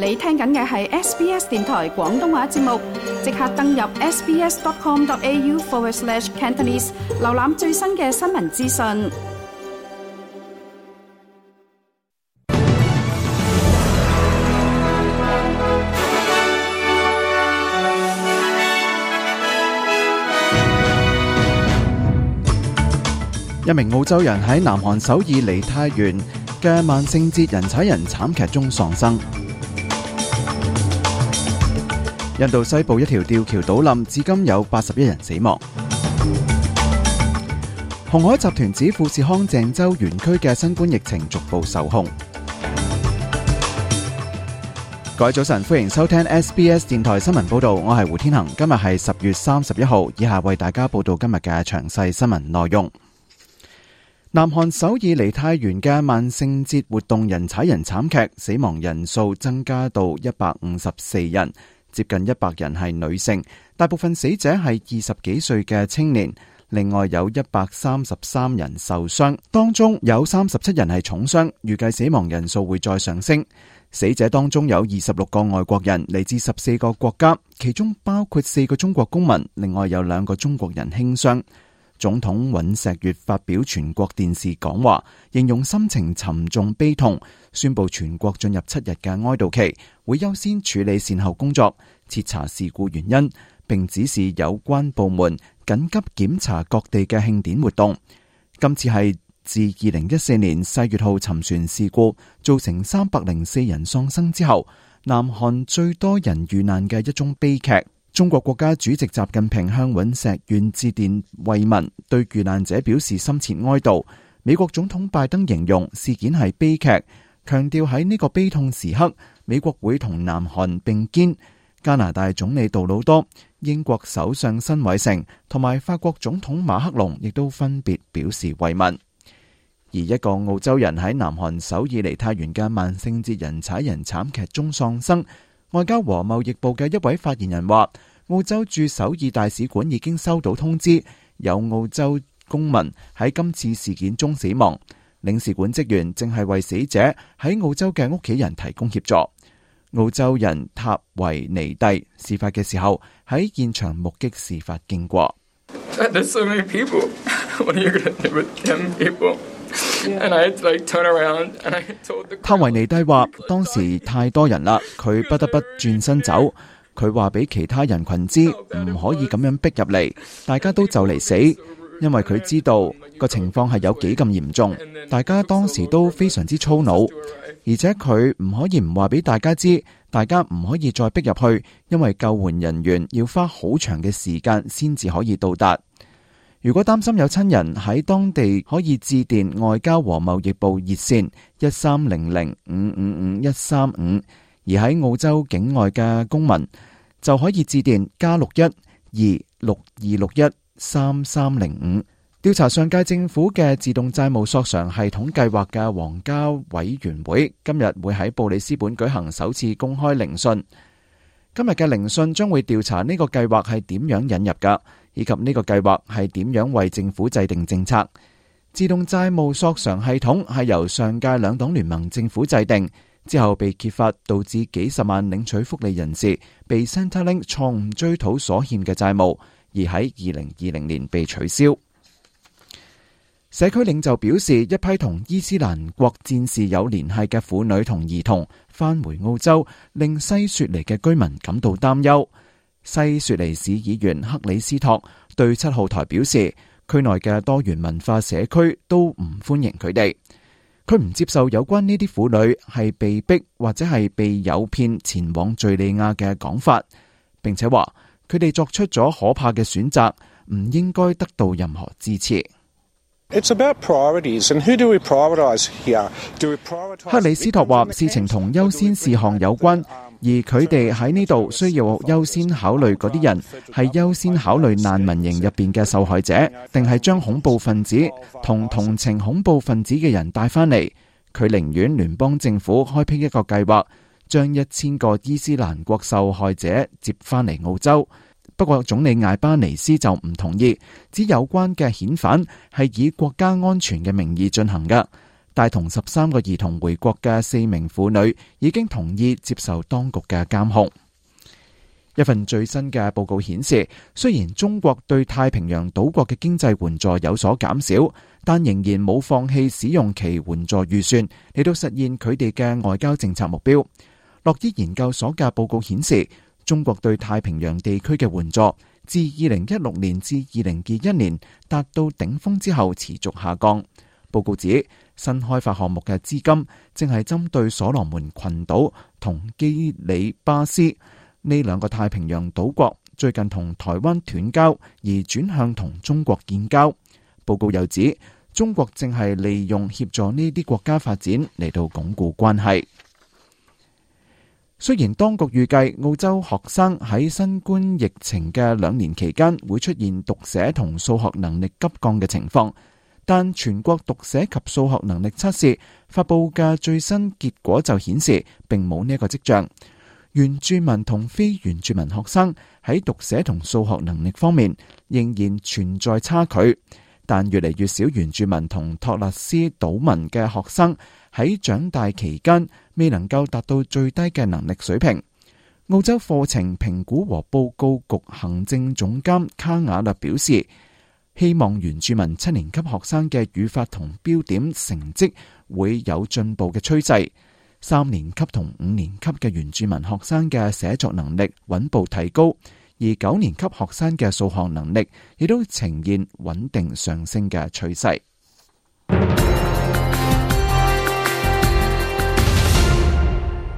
你聽緊嘅係 SBS 電台廣東話節目，即刻登入 sbs.com.au/Cantonese 瀏覽最新嘅新聞資訊。一名澳洲人喺南韓首爾梨泰院嘅萬聖節人踩人慘劇中喪生。印度西部一條吊橋倒冧，至今有81人死亡。鴻海集團指富士康鄭州園區嘅新冠疫情逐步受控。各位早晨，歡迎收聽 SBS 電台新聞報道，我係胡天恒。今日係10月31號，以下為大家報道今日嘅詳細新聞內容。南韓首爾梨泰院嘅萬聖節活動人踩人慘劇，死亡人數增加到154人，接近100人係女性，大部分死者係20幾歲嘅青年，另外有133人受傷，當中有37人係重傷，預計死亡人數會再上升。死者當中有26個外國人，嚟自14個國家，其中包括4個中國公民，另外有2個中國人輕傷。總統尹錫悅發表全國電視講話，形容心情沉重悲痛，宣布全國進入7日嘅哀悼期，會優先處理善後工作，徹查事故原因，並指示有關部門緊急檢查各地嘅慶典活動。今次係自2014年4月號沉船事故造成304人喪生之後，南韓最多人遇難嘅一宗悲劇。中國國家主席習近平向尹錫悅致電慰問，對遇難者表示深切哀悼。美國總統拜登形容事件係悲劇，強調喺呢個悲痛時刻，美國會同南韓並肩。加拿大總理杜魯多、英國首相辛偉誠同埋法國總統馬克龍亦都分別表示慰問。而一個澳洲人喺南韓首爾梨泰院嘅萬聖節人踩人慘劇中喪生。外交和貿易部嘅一位發言人話，澳洲駐首爾大使館已經收到通知，有澳洲公民喺今次事件中死亡。領事館職員正係為死者喺澳洲嘅屋企人提供協助。澳洲人塔維尼蒂事發嘅時候喺現場目擊事發經過。塔維尼蒂話，當時太多人啦，佢不得不轉身走。佢話俾其他人群知唔可以咁樣逼入嚟，大家都就嚟死，因為佢知道個情況係有幾咁嚴重。大家當時都非常之粗魯，而且佢唔可以唔話俾大家知，大家唔可以再逼入去，因為救援人員要花好長嘅時間先至可以到達。如果擔心有親人喺當地，可以致電外交和貿易部熱線1300555135，而喺澳洲境外嘅公民就可以致電+612622613305。調查上屆政府嘅自動債務索償系統計劃嘅皇家委員會今日會喺布里斯本舉行首次公開聆訊。今日嘅聆訊將會調查呢個計劃係點樣引入㗎，以及呢個計劃係點樣為政府制定政策。自動債務索償系統係由上屆兩黨聯盟政府制定，之後被揭發導致幾十萬領取福利人士被 Centrelink 錯誤追討所欠嘅債務，而喺2020年被取消。社區領袖表示，一批同伊斯蘭國戰士有聯繫嘅婦女同兒童返回澳洲，令西雪梨嘅居民感到擔憂。西雪梨市議員克里斯托對7號台表示，區內嘅多元文化社區都唔歡迎佢哋。佢唔接受有關呢啲婦女係被逼或者係被誘騙前往敘利亞嘅講法，並且話佢哋作出咗可怕嘅選擇，唔應該得到任何支持。克里斯托話，事情同優先事項有關，而佢哋喺呢度需要優先考慮嗰啲人係優先考慮難民營入邊嘅受害者，定係將恐怖分子同同情恐怖分子嘅人帶翻嚟。佢寧願聯邦政府開闢一個計劃，將1000個伊斯蘭國受害者接翻嚟澳洲。不過總理艾巴尼斯就唔同意，指有關嘅遣返係以國家安全嘅名義進行嘅。帶同13個兒童回國嘅4名婦女已經同意接受當局嘅監控。一份最新嘅報告顯示，雖然中國對太平洋島國嘅經濟援助有所減少，但仍然冇放棄使用其援助預算嚟到實現佢哋嘅外交政策目標。洛伊研究所嘅報告顯示，中國對太平洋地區嘅援助自2016年至2021年達到頂峰之後持續下降。報告指，新開發項目嘅資金正係針對所羅門群島同基里巴斯呢2個太平洋島國，最近同台灣斷交而轉向同中國建交。報告又指，中國正係利用協助呢啲國家發展嚟到鞏固關係。雖然當局預計澳洲學生喺新冠疫情嘅2年期間會出現讀寫同數學能力急降嘅情況，但全國讀寫及數學能力測試發布嘅最新結果就顯示並冇呢一個跡象。原住民同非原住民學生喺讀寫同數學能力方面仍然存在差距，但越嚟越少原住民同托勒斯島民嘅學生喺長大期間未能夠達到最低嘅能力水平。澳洲課程評估和報告局行政總監卡瓦勒表示，希望原住民7年級學生嘅語法同標點成績會有進步嘅趨勢。3年級同5年級嘅原住民學生嘅寫作能力穩步提高，而9年級學生嘅數學能力亦都呈現穩定上升嘅趨勢。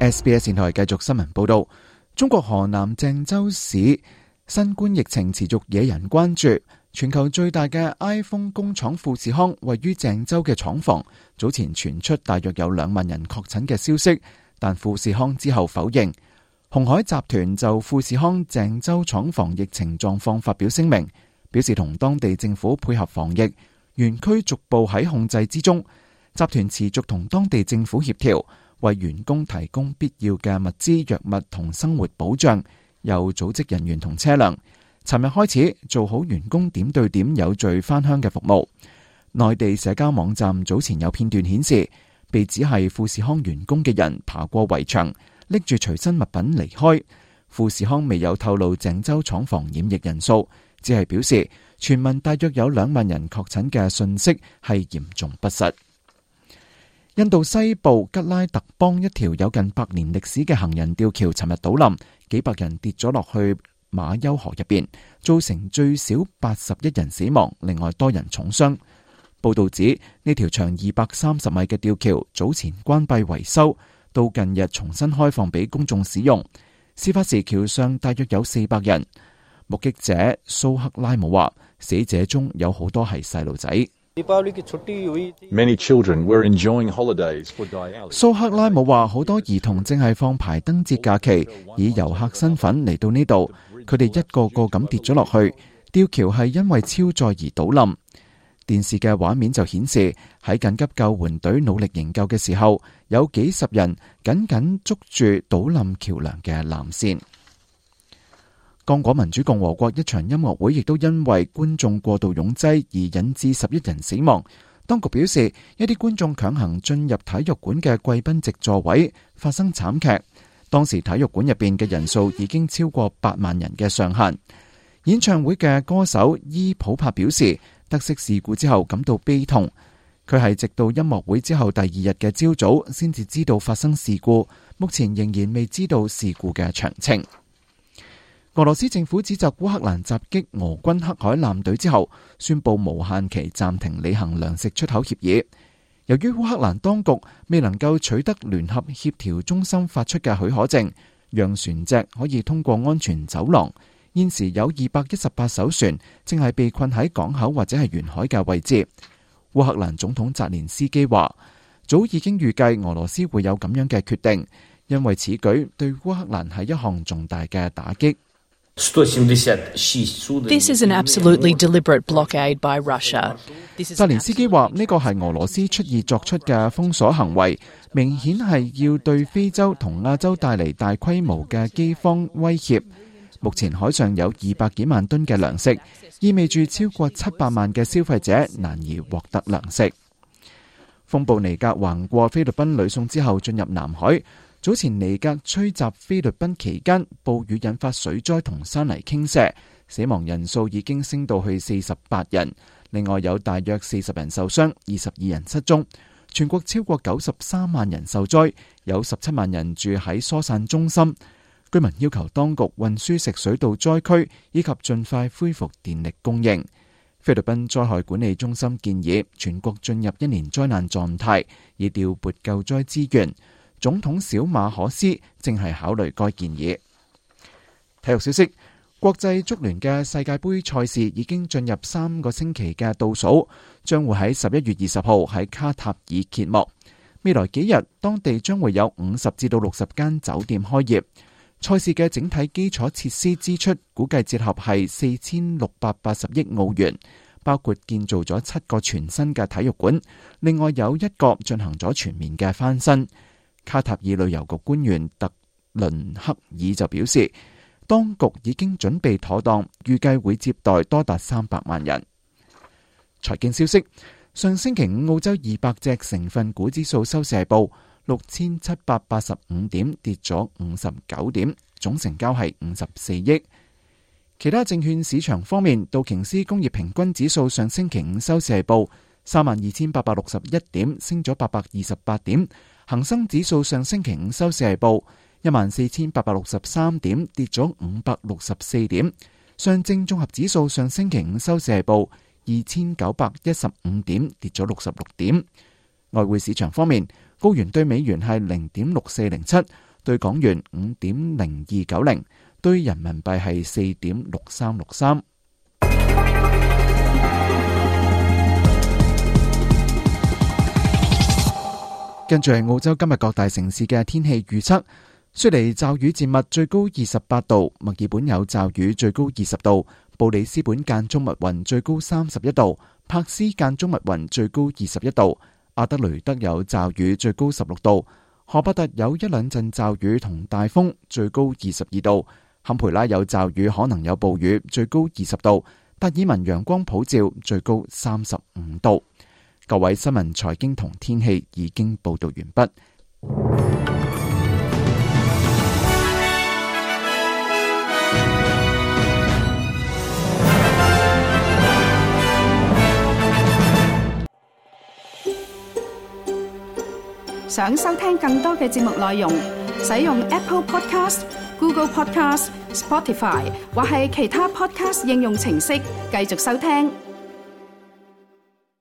SBS 電台繼續新聞報道，中國河南鄭州市新冠疫情持續惹人關注。全球最大嘅 iPhone 工廠富士康位於鄭州嘅廠房，早前傳出大約有2萬人確診嘅消息，但富士康之後否認。鴻海集團就富士康鄭州廠房疫情狀況發表聲明，表示同當地政府配合防疫，園區逐步喺控制之中。集團持續同當地政府協調，為員工提供必要嘅物資、藥物同生活保障，又組織人員同車輛。尋日開始做好員工點對點有序返鄉嘅服務。內地社交網站早前有片段顯示，被指係富士康員工嘅人爬過圍牆，拎住隨身物品離開。富士康未有透露鄭州廠房染疫人數，只係表示傳聞大約有2萬人確診嘅信息係嚴重不實。印度西部吉拉特邦一條有近100年歷史嘅行人吊橋尋日倒冧，幾百人跌咗落去馬丘河入邊，造成最少81人死亡，另外多人重傷。報道指呢條長230米嘅吊橋早前關閉維修，到近日重新開放俾公眾使用。事發時橋上大約有400人。目擊者蘇克拉姆話，死者中有好多係細路仔。Many children were enjoying holidays for Diwali. 蘇克拉姆話，好多兒童正係放排燈節假期，以遊客身份嚟到呢度。佢哋一個個咁跌咗落去，吊橋係因為超載而倒冧。電視嘅畫面就顯示，喺緊急救援隊努力營救嘅時候，有幾十人緊緊捉住倒冧橋樑嘅纜線。剛果民主共和國一場音樂會亦都因為觀眾過度擁擠而引致11人死亡。當局表示，一啲觀眾強行進入體育館嘅貴賓席座位，發生慘劇。當時體育館入邊嘅人數已經超過8萬人嘅上限。演唱會嘅歌手伊普帕表示，得悉事故之後感到悲痛。佢係直到音樂會之後第2日嘅朝早先至知道發生事故，目前仍然未知道事故嘅詳情。俄羅斯政府指責烏克蘭襲擊俄軍黑海艦隊之後，宣布無限期暫停履行糧食出口協議。由於烏克蘭當局未能夠取得聯合協調中心發出嘅許可證，讓船隻可以通過安全走廊，現時有218艘船正係被困喺港口或者係沿海嘅位置。烏克蘭總統澤連斯基話，早已經預計俄羅斯會有咁樣嘅決定，因為此舉對烏克蘭係一項重大嘅打擊。This is an absolutely deliberate blockade by Russia. 澤連斯基話，呢個係俄羅斯出意作出嘅封鎖行為，明顯係要對非洲同亞洲帶嚟大規模嘅饑荒威脅。目前海上有200幾萬噸嘅糧食，意味住超過700萬嘅消費者難以獲得糧食。風暴尼格橫過菲律賓呂宋之後進入南海。早前尼格吹襲菲律賓期間，暴雨引發水災同山泥傾瀉，死亡人數已經升到去48人。另外有大約40人受傷，22人失蹤。全國超過93萬人受災，有17萬人住喺疏散中心。居民要求當局運輸食水到災區，以及盡快恢復電力供應。菲律賓災害管理中心建議全國進入1年災難狀態，以調撥救災資源。總統小馬可斯正係考慮該建議。體育消息：國際足聯嘅世界盃賽事已經進入3個星期嘅倒數，將會喺11月20號喺卡塔爾揭幕。未來幾日，當地將會有50至到60間酒店開業。賽事嘅整體基礎設施支出估計折合係4680億澳元，包括建造咗7個全新嘅體育館，另外有1個進行咗全面嘅翻新。卡塔爾旅遊局官員特倫克爾就表示，當局已經準備妥當，預計會接待多達300萬人。財經消息：上星期五澳洲200隻成分股指數收市係報6785點，跌咗59點，總成交係54億。其他證券市場方面，道瓊斯工業平均指數上星期五收市係報32,861點，升咗828點。恒生指數上星期五收市係報14,863點，跌咗564點。上證綜合指數上星期五收市係報2,915點，跌咗66點。外匯市場方面，澳元對美元係0.6407，對港元5.0290，對人民幣係4.6363。跟住係澳洲今日各大城市嘅天氣預測：雪梨驟雨漸密，最高28度；墨爾本有驟雨，最高20度；布里斯本間中密雲，最高31度；柏斯間中密雲，最高21度；阿德雷德有驟雨，最高16度；荷伯特有一兩陣驟雨同大風，最高22度；坎培拉有驟雨，可能有暴雨，最高20度；達爾文陽光普照，最高35度。各位新聞、財經同天氣已經報道完畢。想收聽更多嘅節目內容，使用 Apple Podcast、Google Podcast、Spotify 或係其他 Podcast 應用程式繼續收聽。